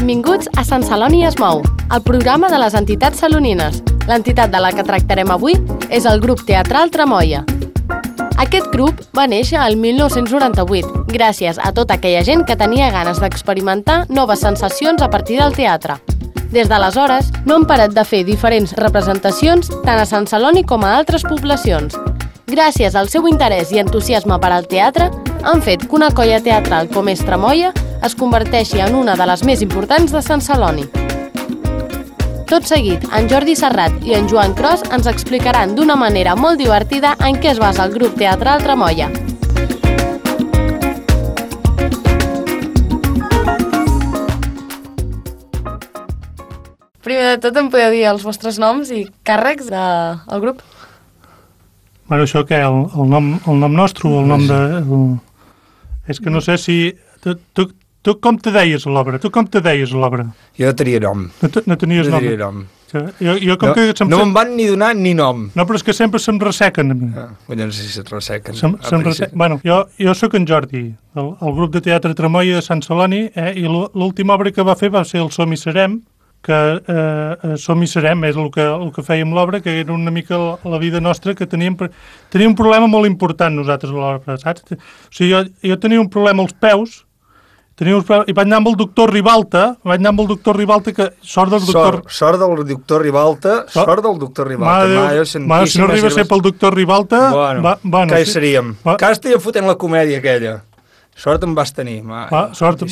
Benvinguts a Sant Celoni es mou, el programa de les entitats salonines. L'entitat de la que tractarem avui és el grup teatral Tramoia. Aquest grup va néixer el 1998, gràcies a tota aquella gent que tenia ganes d'experimentar noves sensacions a partir del teatre. Des d'aleshores, no han parat de fer diferents representacions tant a Sant Celoni com a altres poblacions. Gràcies al seu interès i entusiasme per al teatre, han fet que una colla teatral com és Tramoia es converteixi en una de les més importants de Sant Celoni. Tot seguit, en Jordi Serrat i en Joan Cros ens explicaran d'una manera molt divertida en què es basa el grup teatral Tramoia. Primer de tot, em podeu dir els vostres noms i càrrecs del grup? Bueno, això què? El nom nostre o el nom de... És que no sé si... Tu com te deies a l'obra? Jo tenia nom. No tenies nom? No tenia nom. Jo com que no me'n van ni donar ni nom. No, però és que sempre se'm ressequen a mi. No sé si se't ressequen. Bueno, jo sóc en Jordi, el grup de teatre Tramoia de Sant Celoni, i l'última obra que va fer va ser el Som i Serem, que Som i Serem és el que fèiem l'obra, que era una mica la vida nostra, que teníem un problema molt important nosaltres a l'obra, saps? O sigui, jo tenia un problema als peus, i vaig anar amb el doctor Ribalta, que sort del doctor... Sort del doctor Ribalta. Si no arriba a ser pel doctor Ribalta... Bueno, què seríem? Que estaria fotent la comèdia aquella. Sort em vas tenir. Sort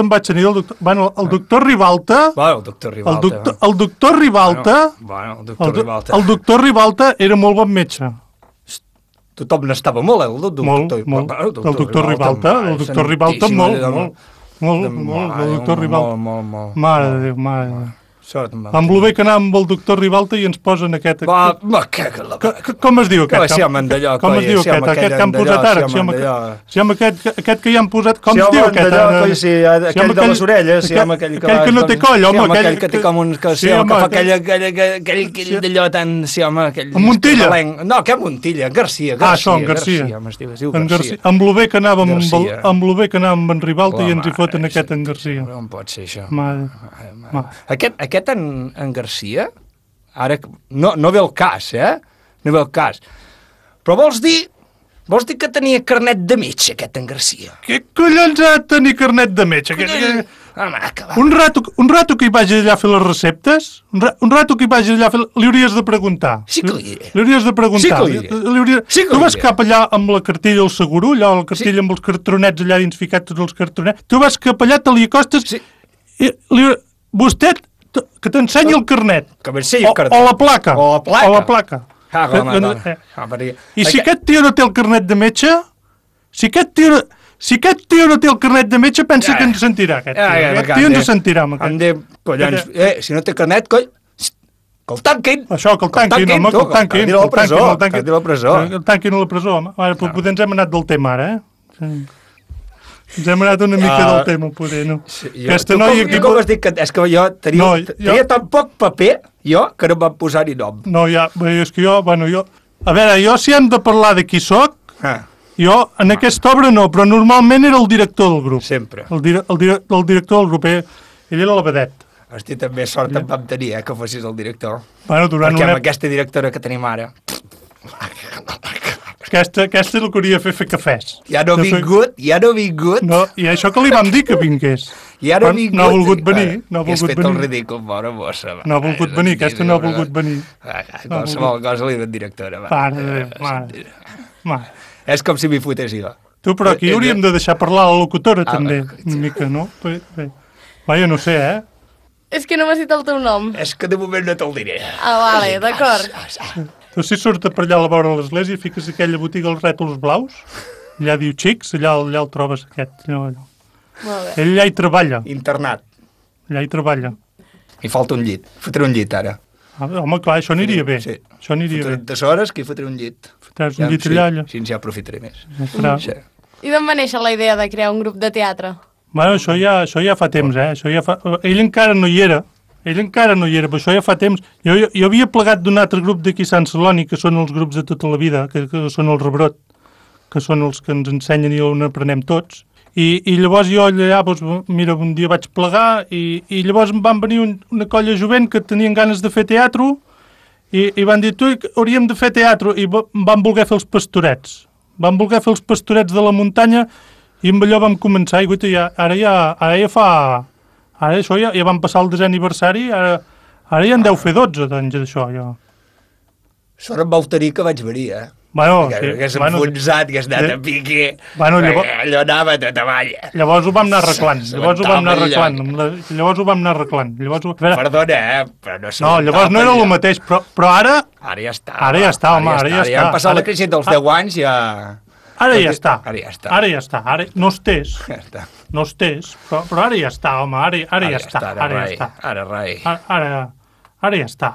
em vaig tenir del doctor... Bueno, el doctor Ribalta... El doctor Ribalta era molt bon metge. Tothom n'estava molt, el doctor Ribalta, Mare de Déu. Amb lo bé que anàvem amb el doctor Ribalta i ens posen aquest... Com es diu aquest? Com es diu aquest que han posat ara? Aquest que ja han posat... Com es diu aquest? Aquell de les orelles. Aquell que no té coll, home. Aquell que té com un... Que fa aquell d'allò tan... En Montilla? No, que Montilla, Garcia. Garcia. Amb lo bé que anàvem amb en Ribalta i ens hi foten aquest en Garcia. No pot ser això. Aquest en Garcia, ara no ve el cas, No ve el cas. Però vols dir que tenia carnet de metge, aquest en Garcia? Què collons ha de tenir carnet de metge? Un rato que hi vagi allà a fer les receptes, li hauries de preguntar. Sí que li diré. Li hauries de preguntar. Tu vas cap allà amb la cartella al seguro, allà la cartella amb els cartronets allà dins ficat tots els cartronets, tu vas cap allà, te li acostes i vostè... Que t'ensenyi el carnet. O la placa. I si aquest tio no té el carnet de metge, pensa que ens sentirà, aquest tio ens sentirà. Si no té carnet, coll, que el tanquin. Això, que el tanquin, home, que el tanquin. Que el tanquin a la presó, home. Potser ens hem anat del tema, ara, Ens hem anat una mica del tema, poder, no? Aquesta noia... Com has dit que... És que jo tenia tan poc paper, que no em van posar-hi nom. No, és que jo... A veure, jo si hem de parlar de qui soc, jo en aquesta obra no, però normalment era el director del grup. Sempre. El director del grup, ell era la vedet. Hosti, també sort em vam tenir, que fossis el director. Perquè amb aquesta directora que tenim ara... Aquesta és el que hauria de fer cafès. Ja no ha vingut. No, i això que li vam dir que vingués. Ja no ha vingut. No ha volgut venir. Has fet el ridícul, bona mossa. No ha volgut venir, aquesta no ha volgut venir. Qualsevol cosa li diuen directora. Mare. És com si m'hi fotés jo. Tu, però aquí hauríem de deixar parlar la locutora, també, una mica, no? Vaja, no sé, És que no m'has dit el teu nom. És que de moment no te'l diré. Vale, d'acord. Tu si surts per allà a la vora de l'església, fiques aquella botiga als rètols blaus, allà diu xics, allà el trobes aquest. Ell allà hi treballa. Internat. Allà hi treballa. Hi falta un llit. Fotré un llit, ara. Home, clar, això aniria bé. Sí. Això aniria bé. 30 hores que hi fotré un llit. Fotràs un llit allà. Així ja aprofitaré més. I d'on va néixer la idea de crear un grup de teatre? Bueno, això ja fa temps, Ell encara no hi era. Però això ja fa temps. Jo havia plegat d'un altre grup d'aquí a Sant Celoni, que són els grups de tota la vida, que són el Rebrot, que són els que ens ensenyen i on aprenem tots. I llavors jo allà, doncs, mira, un dia vaig plegar i llavors em van venir una colla jovent que tenien ganes de fer teatre i van dir, tu, hauríem de fer teatre, i van voler fer els pastorets. Van voler fer els pastorets de la muntanya i amb allò vam començar, i guaita, ara això ja van passar el 10è aniversari, ara ja en deu fer 12 d'anys d'això, ja. Sort em vau tenir que vaig venir, Bueno, sí. Que s'ha enfonsat, que has anat a pique. Bueno, allò anava tot avall. Llavors ho vam anar arreglant. Llavors ho vam anar arreglant. Perdona, però no No, llavors no era el mateix, però ara... Ara ja està. Ara ja està, home, ara ja està. Ja han passat la crisi dels 10 anys, ja... Ara ja està. Ara ja està. Ara no estés. Ja està. No estés, però ara ja està, home, ara ja està. Ara ja està.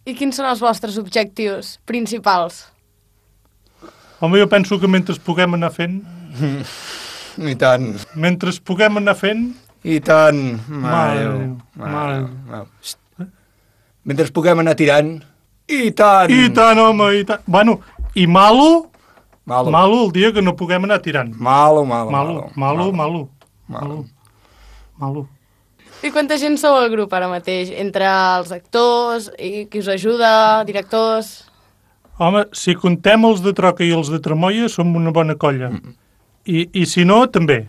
I quins són els vostres objectius principals? Home, jo penso que mentre puguem anar fent... I tant. Mentre puguem anar fent... I tant. Mare Mentre puguem anar tirant... I tant. I tant, home, i tant. Bueno, i malo el dia que no puguem anar tirant. Malo. I quanta gent sou al grup ara mateix? Entre els actors, i qui us ajuda, directors... Home, si contem els de Troca i els de Tremoia, som una bona colla. I si no, també.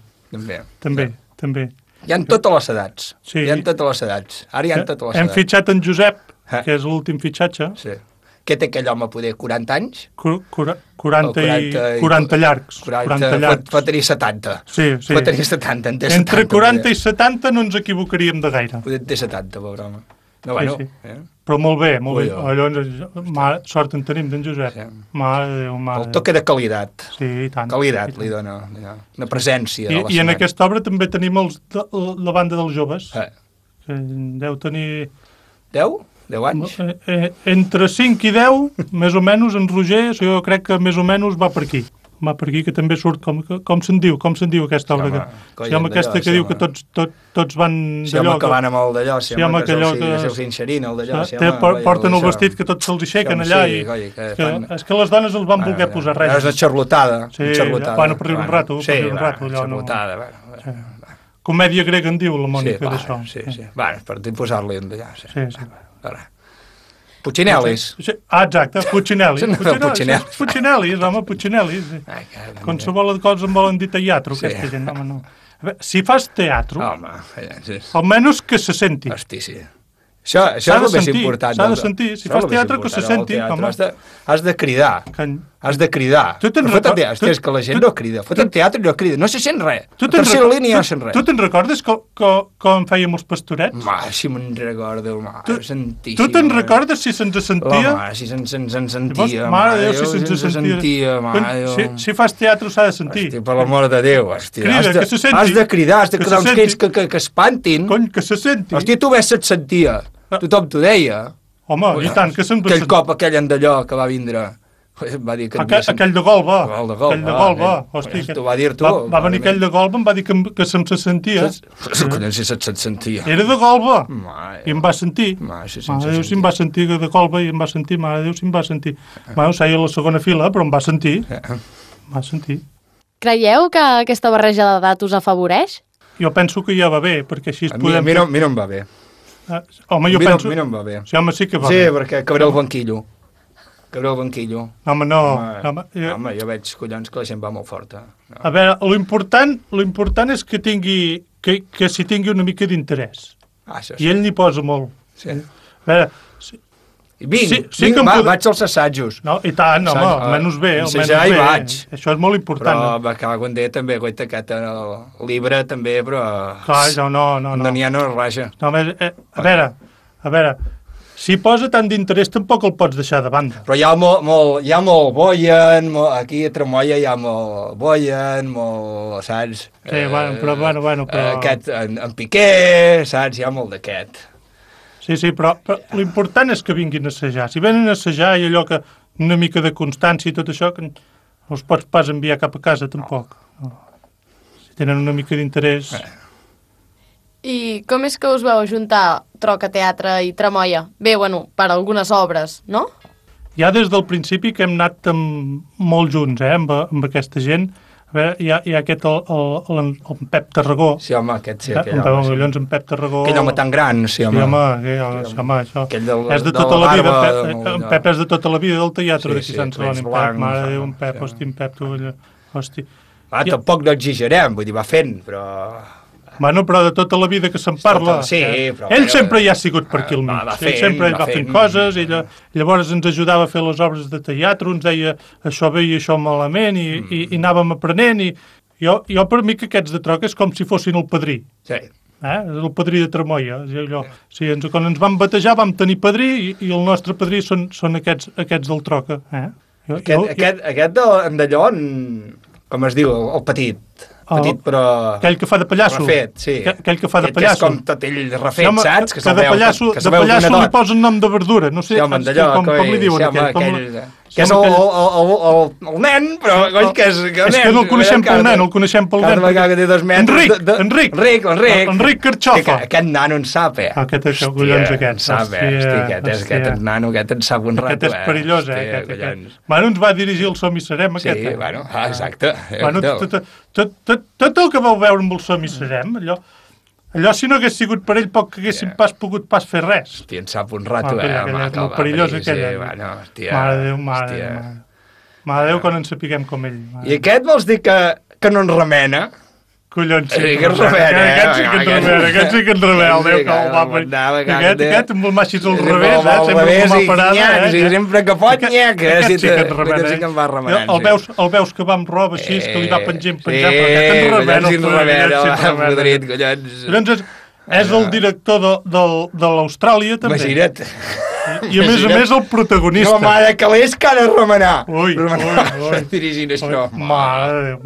També. Hi ha totes les edats. Sí. Hi ha totes les edats. Ara hi ha totes les edats. Hem fitxat en Josep, que és l'últim fitxatge. Sí. Què té aquell home, poder 40 anys? 40 llargs. 40 llargs. Pot tenir 70. Sí. Pot tenir 70, en té 70. Entre 40 i 70 no ens equivocaríem de gaire. Poder té 70, pobre home. No, bueno. Sí. Però molt bé. Allò, sort en tenim d'en Josep. Sí. Mare de Déu, El toque de qualitat. Sí, i tant. Qualitat li dona. Una presència. I en aquesta obra també tenim la banda dels joves. Que deu tenir... 10? 10 anys? Entre 5 i 10, més o menys, en Roger, jo crec que més o menys va per aquí. Va per aquí, que també surt, com se'n diu aquesta obra. Si home aquesta que diu que tots van d'allò... Si home que van amb el d'allò, si home que se'ls inxerint el d'allò. Porten el vestit que tots se'ls aixequen allà. És que les dones els van voler posar res. És una xarlotada. Bueno, per riure un rato. Sí, xarlotada. Comèdia grega en diu la Mònica d'això. Sí. Bueno, per posar-li un d'allà. Sí. Puccinellis. Exacte, Puccinellis. Puccinellis, home, Puccinellis. Qualsevol cosa em volen dir teatre, aquesta gent, home, no. Si fas teatre, almenys que se senti. Hosti, sí. Això és el més important. S'ha de sentir. Si fas teatre, que se senti. Has de cridar. Has de cridar. És que la gent no crida. Foten teatre i no crida. No se sent res. A tercera línia no sent res. Tu te'n recordes com fèiem els pastorets? Si me'n recordo, santíssim. Tu te'n recordes si se'ns sentia? Si se'ns sentia. Mare de Déu, si se'ns sentia. Si fas teatre s'ha de sentir. Hosti, per l'amor de Déu. Crida, que se senti. Has de cridar, has de cridar uns crits que espantin. Cony, que se senti. Hosti, tu ves se't sentia. Tothom t'ho deia. Home, i tant, que se'n... Aquell cop, aquell d'allò que va vindre, va dir que... Aquell de Golba. Aquell de Golba. Hosti, t'ho va dir tu. Va venir aquell de Golba, em va dir que se'm se sentia. Collons, si se't sentia. Era de Golba. I em va sentir. Mare de Déu, si em va sentir de Golba i em va sentir. Mare de Déu, si em va sentir. Bueno, seia a la segona fila, però em va sentir. Creieu que aquesta barreja d'edat us afavoreix? Jo penso que ja va bé, perquè així podem... A mi no em va bé. Home, jo penso... A mi no em va bé. Sí, home, sí que va bé. Sí, perquè cabré el banquillo. Home, no. Home, jo veig, collons, que la gent va molt forta. A veure, l'important és que s'hi tingui una mica d'interès. I ell n'hi posa molt. Sí. A veure... Vaig als assajos. No, i tant, home, almenys bé. Ensejar hi vaig. Això és molt important. Però me cago en Déu també, guaita, aquest llibre també, però... Clar, no. N'hi ha no raja. No, a veure, si posa tant d'interès tampoc el pots deixar de banda. Però hi ha molt Boyen, aquí a Tremoia hi ha molt Boyen, molt, saps? Sí, bueno, però... Aquest, en Piqué, saps? Hi ha molt d'aquest. Sí, però l'important és que vinguin a assajar. Si venen a assajar i allò que una mica de constància i tot això, que no els pots pas enviar cap a casa, tampoc. No. Si tenen una mica d'interès... I com és que us veu juntar Troca Teatre i Tremoia? Bé, per algunes obres, no? Ja des del principi que hem anat molt junts, amb aquesta gent. A veure, hi ha aquest, el Pep Tarragó. Sí, home, aquest sí, aquell home. home. Collons, en Pep Tarragó. Aquell home tan gran, sí, home. Sí, home, això. És de de tota la vida. barba, En Pep és de tota la vida del teatre d'aquí Sant Celoni. Mare de Déu, en Pep, sí. hosti, en Pep, tu, hosti. Tampoc no exagerem, vull dir, va fent, però... Bueno, però de tota la vida que se'n parla. Sí, però... Ell sempre hi ha sigut per aquí al mig. Ell sempre va fent coses, llavors ens ajudava a fer les obres de teatre, ens deia això bé i això malament, i anàvem aprenent, i jo per mi que aquests de Troca és com si fossin el padrí. Sí. El padrí de Tremoia. Sí, quan ens vam batejar vam tenir padrí i el nostre padrí són aquests del Troca. Aquest d'allò, com es diu, el petit, però... Aquell que fa de pallasso. Refet, sí. Aquell que fa de pallasso. Que és com tot ell refet, sí, home, saps? Que de pallasso li posen nom de verdura. No sé com li diuen aquell. Que és el nen, però coix que és... És que no el coneixem pel nen, el coneixem pel nen. Cada vegada que té 2 metres... Enric Carxofa. Aquest nano en sap, Aquest collons aquest. Aquest nano, aquest en sap un rato. Aquest és perillós, Bueno, ens va dirigir el Som i Serem, aquest. Sí, bueno, exacte. Tot el que vau veure amb el Som i Serem, allò si no hagués sigut per ell poc que haguéssim pogut fer res. Hòstia, en sap un rato, molt perillós aquell. Mare de Déu, mare de Déu, quan ens sapiguem com ell. I aquest vols dir que no ens remena? Collons, sí que ens remena. Aquest sí que ens remena, el Déu que el va per... Aquest amb el maixis al revés, sempre com a parada. I sempre que pot, nyaca. Aquest sí que ens remena. El veus que va amb roba així, que li va penjant, però aquest ens remena. Collons, és el director de l'Austràlia, també. Imagina't. I a més el protagonista. No, mare, que l'és que ha de remenar. Ui. Dirigint això. Mare de Déu,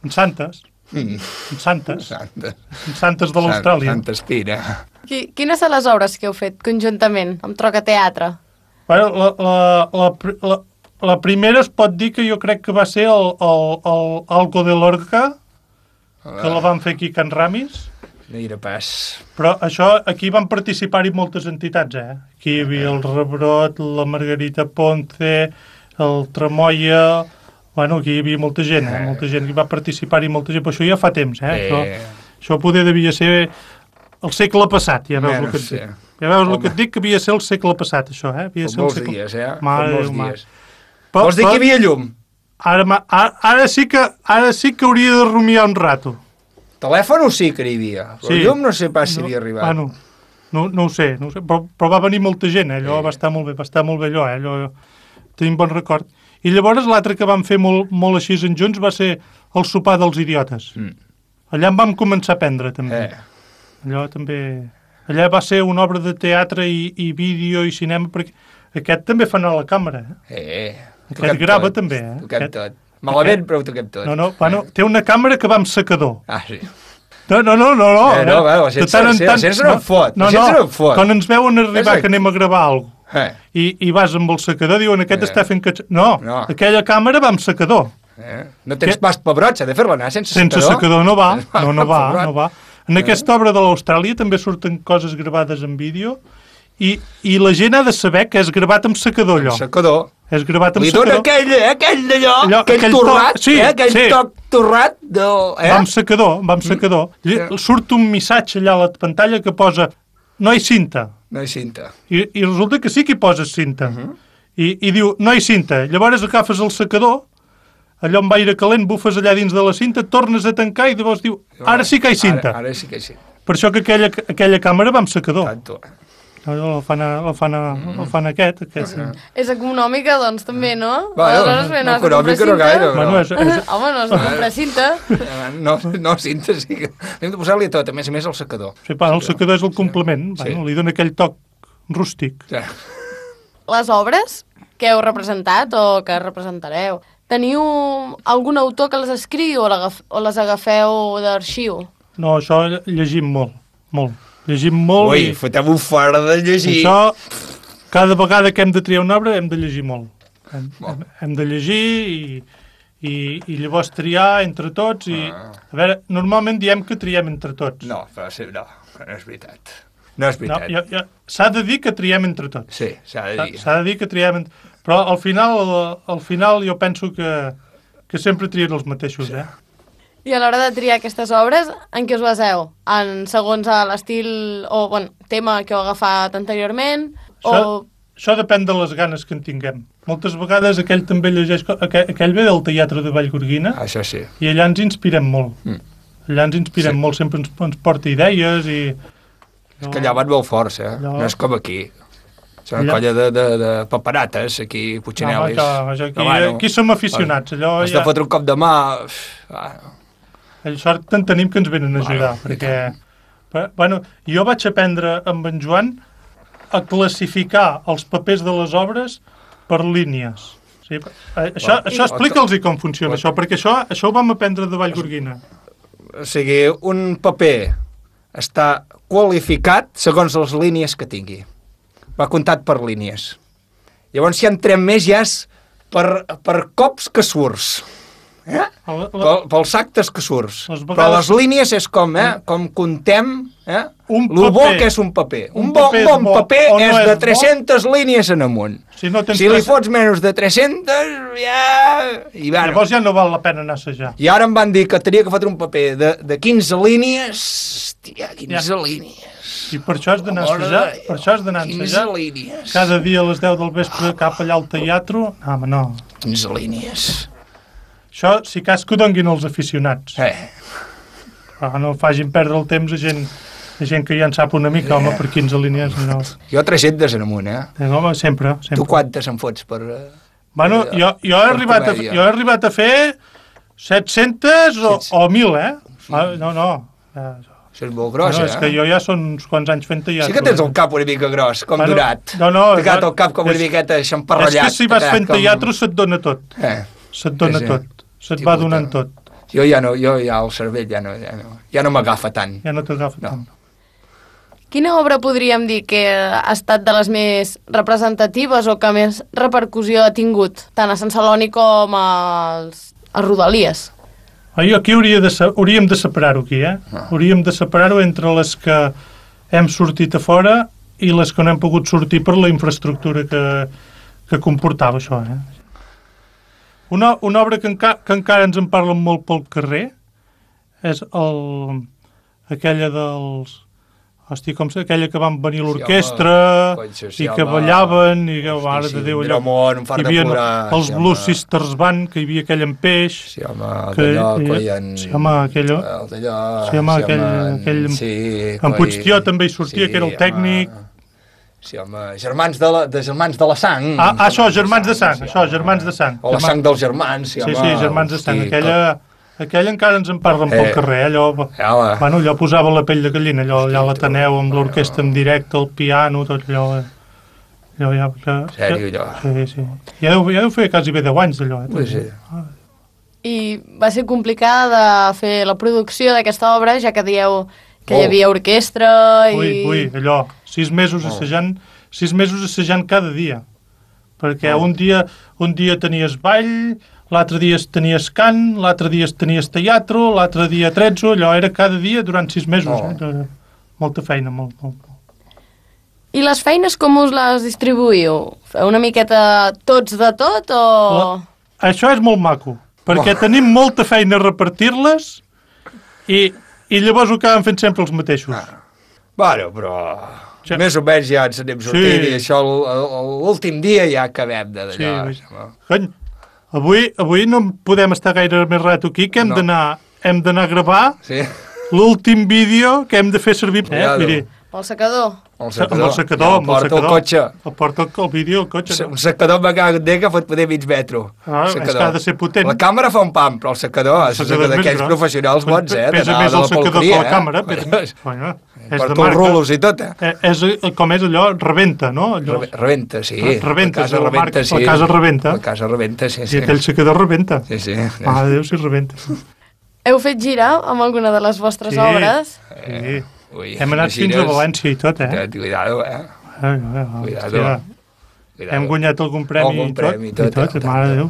En Santes. En Santes de l'Austràlia. Santa Espina. Quines són les obres que heu fet conjuntament amb Troca Teatre? Bueno, la primera es pot dir que jo crec que va ser el Algo de Lorca, que la van fer aquí a Can Ramis. Mira pas. Però això, aquí van participar-hi moltes entitats, Aquí hi havia el Rebrot, la Margarita Ponce, el Tremoia... Bueno, aquí hi havia molta gent, molta gent que va participar-hi, molta gent, però això ja fa temps, Això poder devia ser el segle passat, ja veus el que et dic. Ja veus el que et dic, que havia de ser el segle passat, això, Molts dies, molts dies. Vols dir que hi havia llum? Ara sí que hauria de rumiar un rato. Telèfon sí que hi havia, però llum no sé pas si havia arribat. Bueno, no ho sé, però va venir molta gent, allò va estar molt bé allò, tenim bon record. I llavors l'altre que vam fer molt així en junts va ser el sopar dels idiotes. Allà en vam començar a aprendre, també. Allà va ser una obra de teatre i vídeo i cinema, perquè aquest també fa anar a la càmera. Aquest grava tot, també. Toquem tot. Malament, però ho toquem tot. Bueno, té una càmera que va amb secador. Sí. No. La gent no en fot. Quan ens veuen arribar que anem a gravar alguna cosa, i vas amb el secador, diuen aquest està fent... No, aquella càmera va amb secador. No tens pas pebrot, s'ha de fer-la anar sense secador. Sense secador no va, no va. En aquesta obra de l'Austràlia també surten coses gravades en vídeo i la gent ha de saber que és gravat amb secador, allò. Amb secador. És gravat amb secador. Li dona aquell d'allò, aquell torrat, aquell toc torrat del... Va amb secador. Surt un missatge allà a la pantalla que posa no hi cinta. No hi cinta. I resulta que sí que hi poses cinta. I diu, no hi cinta. Llavors agafes el secador, allò amb aire calent, bufes allà dins de la cinta, tornes a tancar i llavors diu, ara sí que hi cinta. Ara sí que hi cinta. Per això que aquella càmera va amb secador. Tanto. El fan aquest. És econòmica, doncs, també, no? No, econòmica no gaire. Home, no has de comprar cinta. No, cinta sí que... Hem de posar-li tot, a més el secador. Sí, el secador és el complement, li dona aquell toc rústic. Les obres que heu representat o que representareu, teniu algun autor que les escriu o les agafeu d'arxiu? No, això llegim molt. Llegim molt. Ui, fotem-ho fora de llegir. Això, cada vegada que hem de triar una obra, hem de llegir molt. Hem de llegir i llavors triar entre tots. A veure, normalment diem que triem entre tots. No és veritat. No és veritat. S'ha de dir que triem entre tots. Sí, s'ha de dir. S'ha de dir que triem entre... Però al final jo penso que que sempre trien els mateixos, I a l'hora de triar aquestes obres, en què us baseu? Segons l'estil o tema que heu agafat anteriorment? Això depèn de les ganes que en tinguem. Moltes vegades aquell també llegeix... Aquell ve del Teatre de Vallgorguina. Això sí. I allà ens inspirem molt. Allà ens inspirem molt, sempre ens porta idees i... És que allà van molt forts, No és com aquí. És una colla de paperates, aquí, Puignelis. Aquí som aficionats. Has de fotre un cop de mà... Sort en tenim que ens venen a ajudar, perquè... Jo vaig aprendre amb en Joan a classificar els papers de les obres per línies. Això explica'ls com funciona, això, perquè això ho vam aprendre de Vallgorguina. O sigui, un paper està qualificat segons les línies que tingui. Va comptat per línies. Llavors, si entrem més, ja és per cops que surts. Pels actes que surts. Però les línies és com contem lo bo que és un paper. Un bon paper és de 300 línies en amunt. Si li fots menys de 300, llavors ja no val la pena anar a assajar. I ara em van dir que tenia que fotre un paper de 15 línies. Hòstia, 15 línies. I per això has d'anar a assajar. Per això has d'anar a assajar. 15 línies. Cada dia a les 10 del vespre cap allà al teatre. No. 15 línies. Això, si cas que ho donguin els aficionats. No facin perdre el temps a gent que ja en sap una mica, home, per 15 línies. No. Jo 300 en amunt, Home, sempre. Tu quantes em fots per... Jo he arribat a fer 700 o 1.000, No. Això és molt gros, És que jo ja són uns quants anys fent teatre. Sí que tens el cap una mica gros, com Durat. T'he quedat el cap com una miqueta xamparrellat. És que si vas fent teatre se't dona tot. Se't dona tot. Se't va donant tot. Jo ja el cervell ja no m'agafa tant. Ja no t'agafa tant. Quina obra podríem dir que ha estat de les més representatives o que més repercussió ha tingut, tant a Sant Celoni com a Rodalies? Aquí hauríem de separar-ho aquí, Hauríem de separar-ho entre les que hem sortit a fora i les que no hem pogut sortir per la infraestructura que comportava això, Una obra que encara ens en parlen molt pel carrer és aquella dels... Hosti, aquella que van venir l'orquestra i que ballaven i que, mare de Déu, allò... Hi havia els Blues Sisters Band, que hi havia aquell en peix... Sí, home, aquell... En Puigtió també hi sortia, que era el tècnic... Sí, home, germans de la sang. Això, germans de sang. O la sang dels germans, sí, home. Sí, germans de sang. Aquella encara ens en parlen pel carrer, allò posava la pell de gallina, allà a l'Ateneu, amb l'orquestra en directe, el piano, tot allò. Sèrio, allò? Sí. Ja deu fer quasi bé 10 anys, d'allò. Sí. I va ser complicada de fer la producció d'aquesta obra, ja que dieu que hi havia orquestra i... Ui, allò, 6 mesos assajant cada dia, perquè un dia tenies ball, l'altre dia tenies cant, l'altre dia tenies teatre, l'altre dia trezzo, allò era cada dia durant 6 mesos, molta feina, molt. I les feines com us les distribuïu? Feu una miqueta tots de tot o...? Això és molt maco, perquè tenim molta feina a repartir-les i llavors ho acaben fent sempre els mateixos. Bueno, però... Més o menys ja ens anem sortint i això l'últim dia ja acabem d'allò. Cony, avui no podem estar gaire més rato aquí, que hem d'anar a gravar l'últim vídeo que hem de fer servir. Miri. El secador. Amb el secador. El cotxe. El vídeo al cotxe. Un secador me cago en Déu que pot poder mig metro. És que ha de ser potent. La càmera fa un pam, però el secador és d'aquells professionals bons, Pesa més el secador que la càmera. Per tots rulos i tot, Com és allò? Rebenta, no? Rebenta, sí. Rebenta, la casa rebenta. La casa rebenta, sí. I aquell secador rebenta. Sí. Déu, si rebenta. Heu fet girar amb alguna de les vostres obres? Sí. Hem anat fins a València i tot, Cuidado, Cuidado. Hem guanyat algun premi i tot, mare de Déu.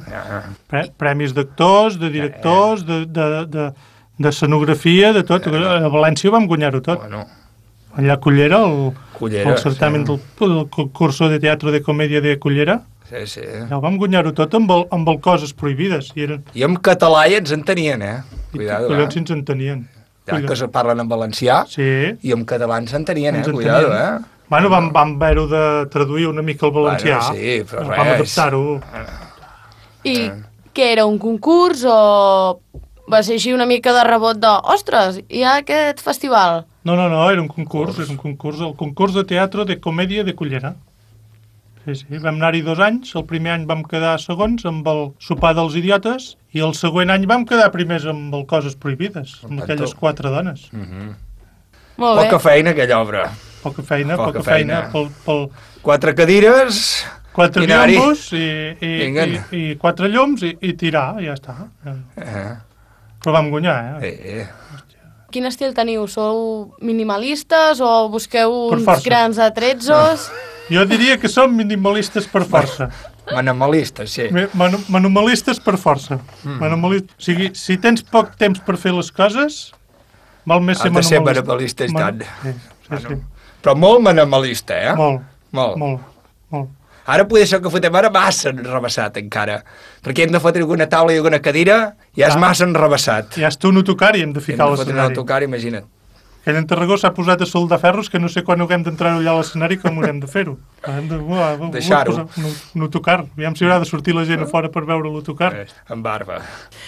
Premis d'actors, de directors, de escenografia, de tot. A València vam guanyar-ho tot. Allà a Cullera, el certamen del concurso de teatre de comèdia de Cullera. Sí, sí. Ja ho vam guanyar-ho tot amb el Coses Prohibides. I en català ja ens entenien, Cuidado, collons si ens entenien. Ja que se parlen en valencià, i en català ens entenien, Cuidado, Bueno, vam haver-ho de traduir una mica al valencià. Bueno, sí, però res. Vam adaptar-ho. I què era, un concurs o va ser així una mica de rebot de ostres, hi ha aquest festival? No, era un concurs, el concurs de teatre de comèdia de Cullera. Sí, vam anar-hi 2 anys, el primer any vam quedar segons amb el sopar dels idiotes i el següent any vam quedar primers amb el Coses Prohibides, amb aquelles 4 dones. Molt bé. Poca feina, aquella obra. Poca feina. 4 cadires... 4 llums i 4 llums i tirar, ja està. Però vam guanyar, Quin estil teniu? Sou minimalistes o busqueu uns grans atrezzos? Jo diria que som minimalistes per força. Minimalistes, sí. Minimalistes per força. O sigui, si tens poc temps per fer les coses, val més ser minimalista. Has de ser minimalista, Sí. Però molt minimalista, Molt. Ara poder ser que fotem ara massa enrebaçat, encara. Perquè hem de fotre alguna taula i alguna cadira, ja és massa enrebaçat. Ja és un autocar i hem de ficar a l'escenari. Hem de fotre un autocar, imagina't. Aquell en Tarragó s'ha posat a soldar ferros que no sé quan haurem d'entrar allà a l'escenari com haurem de fer-ho. Hem de deixar-ho. Un autocar. Aviam si haurà de sortir la gent a fora per veure l'autocar. Amb barba.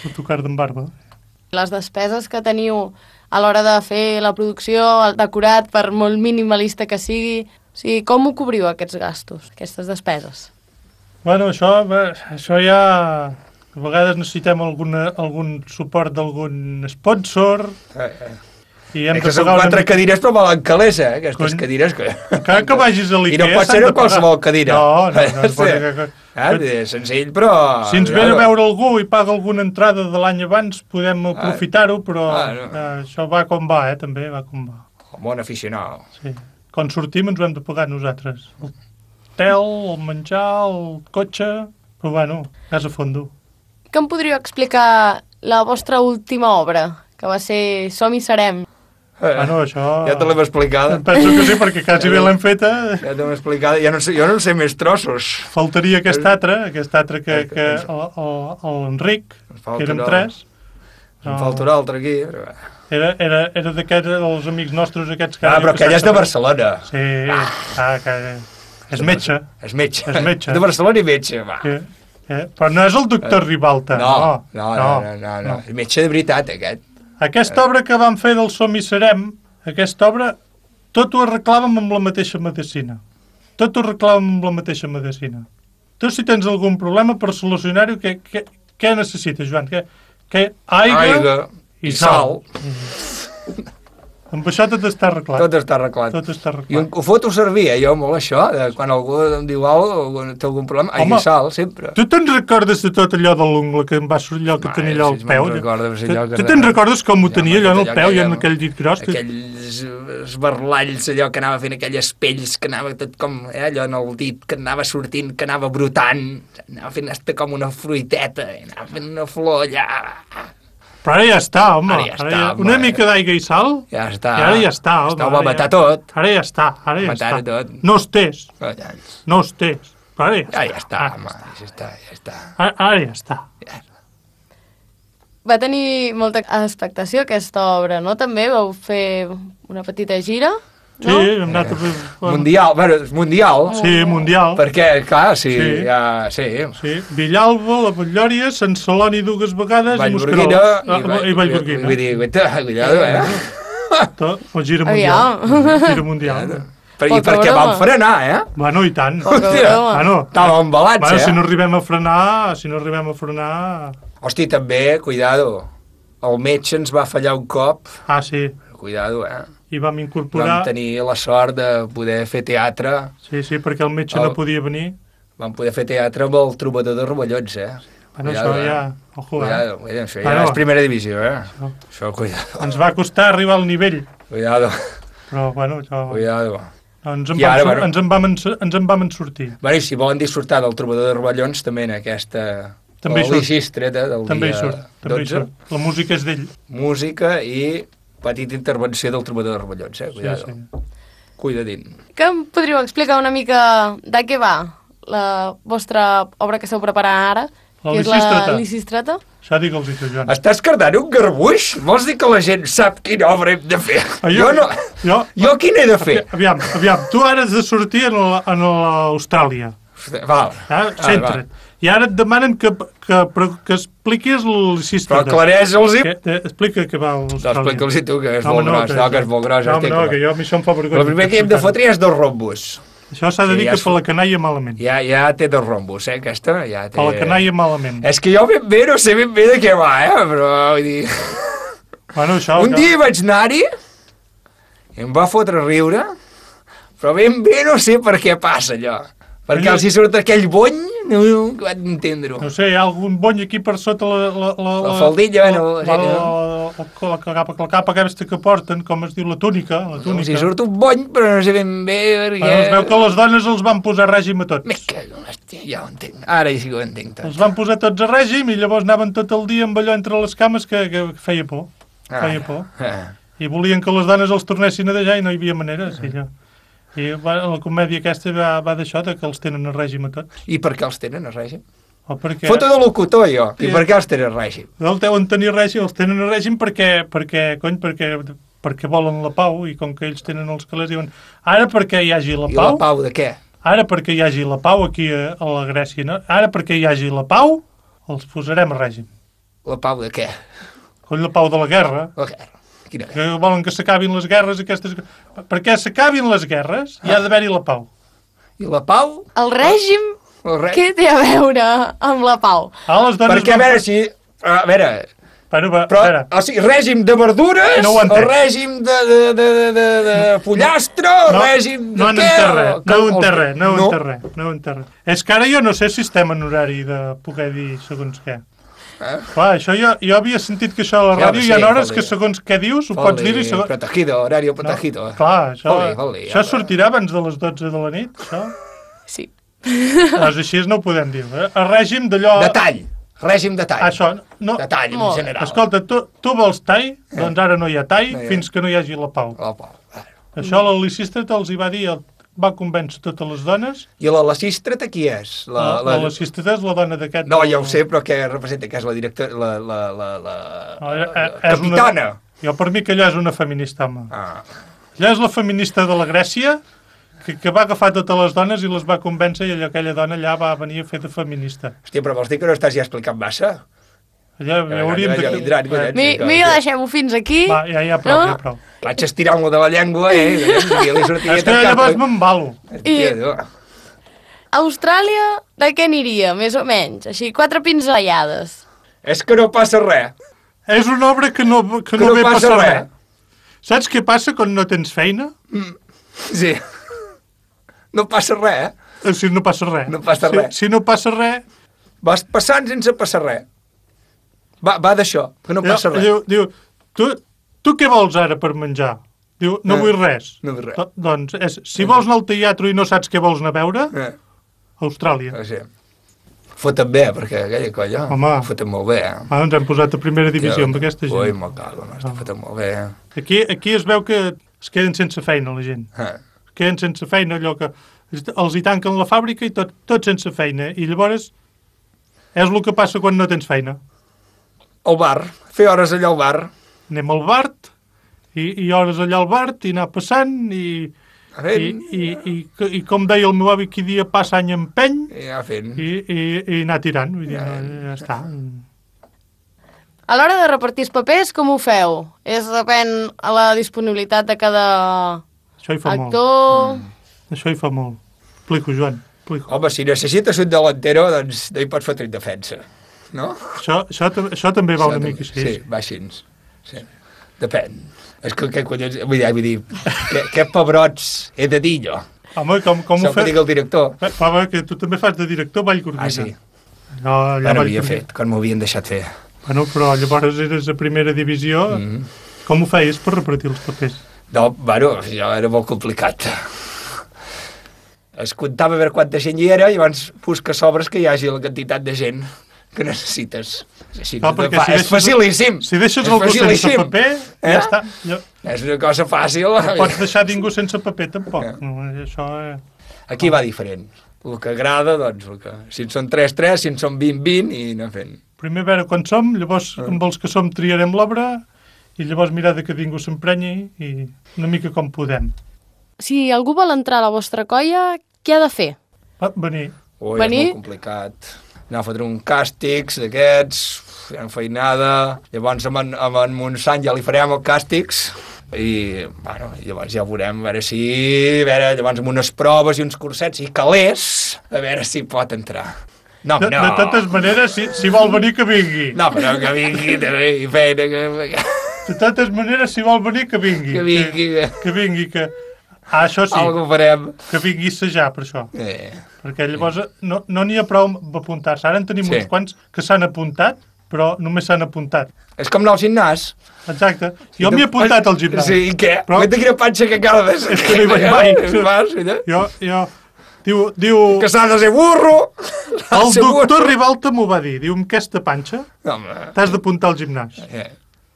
L'autocar d'en barba. Les despeses que teniu a l'hora de fer la producció, el decorat, per molt minimalista que sigui... O sigui, com ho cobriu, aquests gastos, aquestes despeses? Bueno, això ja... A vegades necessitem algun suport d'algun sponsor... I hem que són 4 cadires però valen calés, aquestes cadires que... Encara que vagis a l'Ikea... I no pot ser qualsevol cadira. No. Senzill, però... Si ens ve a veure algú i paga alguna entrada de l'any abans, podem aprofitar-ho, però això va com va, també va com va. Com bon aficionat. Sí. Quan sortim ens ho hem de pagar nosaltres. El hotel, el menjar, el cotxe... Però bueno, gas a fondo. Que em podríeu explicar la vostra última obra, que va ser Som i Serem? Bueno, això... Ja te l'hem explicada. Penso que sí, perquè quasi bé l'hem feta. Ja te l'hem explicada. Jo no sé més trossos. Faltaria aquest altre que l'Enric, que érem 3. Em faltarà l'altre aquí. Era d'aquests, els amics nostres aquests que... però aquell és de Barcelona. Sí, que és metge. És metge. De Barcelona i metge, va. Però no és el doctor Ribalta. No. És metge de veritat, aquest. Aquesta obra que vam fer del Som i Serem, aquesta obra, tot ho arreglàvem amb la mateixa medicina. Tu, si tens algun problema per solucionar-ho, què necessites, Joan? Aigua i sal. Amb això tot està arreglat. Tot està arreglat. I ho foto servir, jo, molt això, quan algú em diu alguna cosa, té algun problema, aigua i sal, sempre. Tu te'n recordes de tot allò de l'ungla que em va sortir allò que tenia allò al peu? Tu te'n recordes com ho tenia allò en el peu i en aquell dit gros? Aquells esbarlalls, allò que anava fent aquelles pells, que anava tot com, allò en el dit, que anava sortint, que anava brotant, anava fent com una fruiteta, anava fent una flor allà... Però ara ja està, home. Una mica d'aigua i sal? Ja està. I ara ja està, home. Ho va matar tot. Ara ja està. No estés. Però ara ja està, home. Ja està. Ara ja està. Va tenir molta expectació aquesta obra, no? També vau fer una petita gira, no? Sí, hem anat a fer... Mundial. Sí, mundial. Perquè, clar, sí. Villalba, la Batllòria, Sant Celoni 2 vegades i Mosquerol. I Vallgorguina. Vull dir, cuidado, O gira mundial. I perquè vam frenar, Bueno, i tant. Estava embalats, Si no arribem a frenar... Hosti, també, cuidado. El metge ens va fallar un cop. Ah, sí. Cuidado, I vam incorporar... Vam tenir la sort de poder fer teatre. Sí, perquè el metge no podia venir. Vam poder fer teatre amb el Trobador de Rovellons, Bueno, això ja... Cuidado, això ja és primera divisió, Això, cuidado. Ens va costar arribar al nivell. Cuidado. Però, bueno, això... Cuidado. Ens en vam sortir. Bueno, i si volen disfrutar del Trobador de Rovellons, també en aquesta... També hi surt. També hi surt. La música és d'ell. Música i... petita intervenció del Trobador de Rovellons, cuidado. Sí. Cuidadín. Que em podríeu explicar una mica de què va la vostra obra que esteu preparant ara, que és la Lisistrata. Això digue'ls i tu, Joan. Estàs cardant un garbuix? Vols dir que la gent sap quina obra hem de fer? Jo quina he de fer? Aviam, tu ara has de sortir a l'Austràlia. Val. Centra't. I ara et demanen que expliquis el Lisistrata. Però aclareix-los-hi. Explica què va l'Austràlia. No, explica'ls-hi tu, que és molt gros. No, que és molt gros. No, que jo a mi això em fa vergonya. El primer que hem de fotre és 2 rombos. Això s'ha de dir que per la canalla malament. Ja té 2 rombos, aquesta. Per la canalla malament. És que jo ben bé no sé ben bé de què va, però vull dir... Bueno, això... Un dia vaig anar-hi, em va fotre a riure, però ben bé no sé per què passa allò. Perquè els hi surt aquell bony, no vaig entendre-ho. No sé, hi ha algun bony aquí per sota la faldilla, la capa aquesta que porten, com es diu, la túnica. Els hi surt un bony, però no sé ben bé perquè... Es veu que les dones els van posar a règim a tots. Me cago, hòstia, ja ho entenc. Ara sí que ho entenc tot. Els van posar tots a règim i llavors anaven tot el dia amb allò entre les cames que feia por. Feia por. I volien que les dones els tornessin a deixar i no hi havia manera, sí, allò. I la comèdia aquesta va d'això, que els tenen a règim a tots. I per què els tenen a règim? Perquè... Foto de locutor, jo. I per què els tenen a règim? El deuen tenir règim, els tenen a règim perquè volen la pau, i com que ells tenen els calés, diuen ara perquè hi hagi la pau... I la pau de què? Ara perquè hi hagi la pau aquí a la Grècia, no? Ara perquè hi hagi la pau, els posarem a règim. La pau de què? La pau de la guerra. La guerra. Que volen que s'acabin les guerres aquestes... Perquè s'acabin les guerres hi ha d'haver-hi la pau. I la pau? El règim? Què té a veure amb la pau? Perquè, a veure, si... A veure... O sigui, règim de verdures, o règim de pollastre, o règim de què? No ho enterré. És que ara jo no sé si estem en horari de poder dir segons què. Clar, això jo havia sentit que això a la ràdio hi ha hores que segons què dius ho pots dir i segons... Protegido, horario protegido. Clar, això sortirà abans de les 12 de la nit, això? Sí. Doncs així no ho podem dir. El règim d'allò... Règim de tall. Això, no... De tall, en general. Escolta, tu vols tall? Doncs ara no hi ha tall fins que no hi hagi la pau. La pau. Això la Lisístrata els hi va dir... Va convèncer totes les dones. I la Lisístrata qui és? La Lisístrata és la dona d'aquest... No, ja ho sé, però què representa? Que és la directora... La capitana. Jo per mi que allò és una feminista, home. Allò és la feminista de la Grècia que va agafar totes les dones i les va convèncer i aquella dona allà va venir a fer de feminista. Hòstia, però vols dir que no estàs ja explicant massa? Allà hauríem de... Millor deixem-ho fins aquí. Va, ja prou. Vaig estirant-lo de la llengua, És que llavors m'embalo. Austràlia, de què aniria, més o menys? Així, 4 pinzellades. És que no passa res. És una obra que no ve passar res. Saps què passa quan no tens feina? Sí. No passa res, Si no passa res. No passa res. Si no passa res... Vas passant sense passar res. Va d'això, que no passa res. Diu, tu què vols ara per menjar? Diu, no vull res. No vull res. Doncs, si vols anar al teatre i no saps què vols anar a veure, Austràlia. Sí. Foten bé, perquè aquella colla foten molt bé. Ens hem posat a primera divisió amb aquesta gent. Ui, molt cago, foten molt bé. Aquí es veu que es queden sense feina, la gent. Es queden sense feina, allò que els hi tanquen la fàbrica i tot sense feina. I llavors és el que passa quan no tens feina. Al bar, fer hores allà al bar. Anem al bar, i hores allà al bar, i anar passant, i com deia el meu avi, qui dia passa any empeny, i anar fent. I anar tirant, vull dir, ja està. A l'hora de repartir els papers, com ho feu? Depèn a la disponibilitat de cada actor? Això hi fa molt. Explico, Joan. Home, si necessites un delantero, doncs no hi pots fotre en defensa. No? Això també va una mica així. Sí, va així. Sí. Depèn. És que collons... Vull dir, què pebrots he de dir, jo? Home, com ho fa? El director. Home, que tu també fas de director, Vallgorguina. Sí. No havia fet, quan m'ho havien deixat fer. Bueno, però llavors eres a primera divisió. Com ho feies per repartir els papers? No, bueno, això era molt complicat. Es comptava a veure quanta gent hi era i abans busca sobres que hi hagi la quantitat de gent que necessites. És facilíssim. Si deixes algú sense paper, ja està. És una cosa fàcil. No pots deixar ningú sense paper, tampoc. Això Aquí va diferent. El que agrada, doncs, si en són 3, si en són 20, i anar fent. Primer a veure quan som, llavors amb els que som triarem l'obra i llavors mirar de que ningú s'emprenyi i una mica com podem. Si algú vol entrar a la vostra colla, què ha de fer? Venir. Ui, Venir? és molt complicat. Anar a fotre un càstigs d'aquests, fer feinada, llavors amb en Montsant ja li farem el càstigs, i bueno, llavors ja ho veurem, a veure, llavors amb unes proves i uns cursets i calés, a veure si pot entrar. No. De totes maneres, si vol venir, que vingui. No, però que vingui també, i feina que... De totes maneres, si vol venir, que vingui. Que vingui, que... això sí. Algo farem. Que vingui a assajar, per això. Perquè llavors no n'hi ha prou d'apuntar-se. Ara en tenim uns quants que s'han apuntat, però només s'han apuntat. És com anar al gimnàs. Exacte. Jo m'hi he apuntat al gimnàs. Sí, i què? Però... quina panxa que cada vegada... És que no hi vaig mai. Diu... Que s'ha de ser burro! El doctor Ribalta m'ho va dir. Diu, amb aquesta panxa t'has d'apuntar al gimnàs.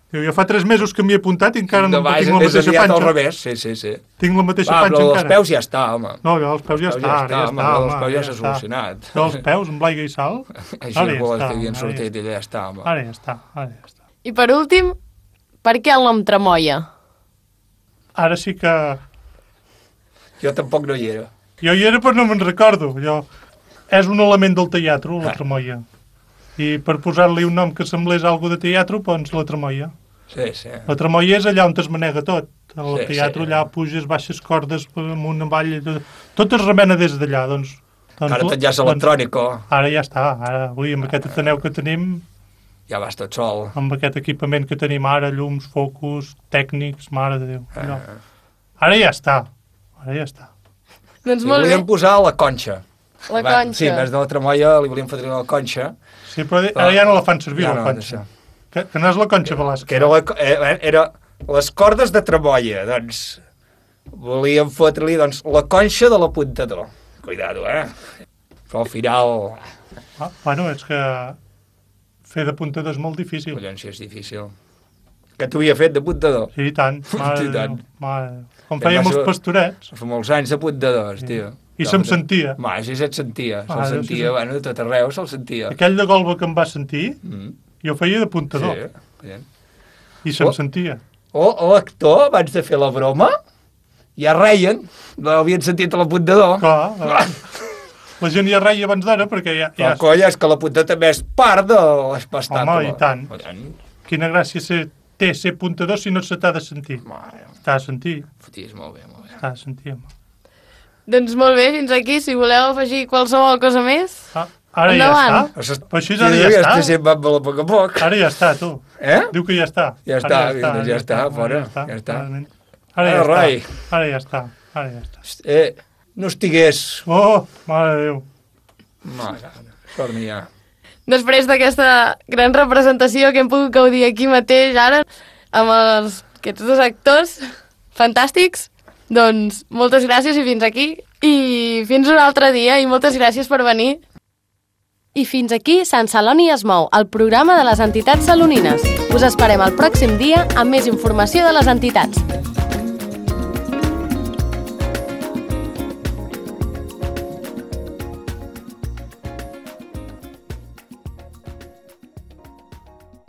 Diu, jo fa 3 mesos que m'hi he apuntat i encara no tinc la mateixa panxa. Al revés, sí. Tinc la mateixa panxa encara. Però els peus ja està, home. No, els peus ja està. Els peus ja s'ha solucionat. Però els peus, amb l'aigua i sal... Així és bo que havien sortit i ja està, home. Ara ja està. I per últim, per què el nom Tramoia? Ara sí que... Jo tampoc no hi era. Jo hi era però no me'n recordo. És un element del teatre, la tramoia. I per posar-li un nom que semblés algo de teatre, doncs la tramoia. Sí. La tramoia és allà on es manega tot. El teatre allà puges, baixes cordes, amunt, avall... Tot es remena des d'allà, doncs... Ara tot ja és electrònic. Ara ja està. Avui, amb aquest Ateneu que tenim... Ja vas tot sol. Amb aquest equipament que tenim ara, llums, focus, tècnics, mare de Déu. Ara ja està. Doncs li molt bé. volíem posar la conxa. La conxa. Sí, en vez de la tramoia li volíem fotre la conxa. Sí, però ara ja no la fan servir, la conxa. Que no és la conxa Velasco. Que era les cordes de tramoia, doncs volíem fotre-li la conxa de l'apuntador. Cuidado, Però al final... Bueno, és que fer d'apuntador és molt difícil. Collons, si és difícil. Que t'ho havia fet d'apuntador? Sí, i tant. Com fèiem els pastorets. Fa molts anys d'apuntadors, tio. I se'm sentia. Així se't sentia. Se'l sentia, de tot arreu se'l sentia. Aquell de Golba que em va sentir, jo feia d'apuntador. Sí. I se'm sentia. L'actor, abans de fer la broma, ja reien. L'havien sentit a l'apuntador. Clar. La gent ja reia abans d'ara, perquè ja... La colla és que l'apuntador també és part de l'espectacle. Home, i tant. Quina gràcia té ser apuntador si no se t'ha de sentir. T'ha de sentir. Foties, molt bé. T'ha de sentir, home. Doncs molt bé, fins aquí. Si voleu afegir qualsevol cosa més, ara endavant. Ja està. Però així ara ja està. A poc a poc. Ara ja està, tu. Diu que ja està. Ja està, fora. Ja està. Ara ja està. No estigués... Oh, mare de Déu. Mare, torni ja. Després d'aquesta gran representació que hem pogut gaudir aquí mateix ara, amb aquests 2 actors fantàstics, doncs moltes gràcies i fins aquí. I fins un altre dia i moltes gràcies per venir. I fins aquí Sant Celoni es mou, el programa de les entitats salonines. Us esperem el pròxim dia amb més informació de les entitats.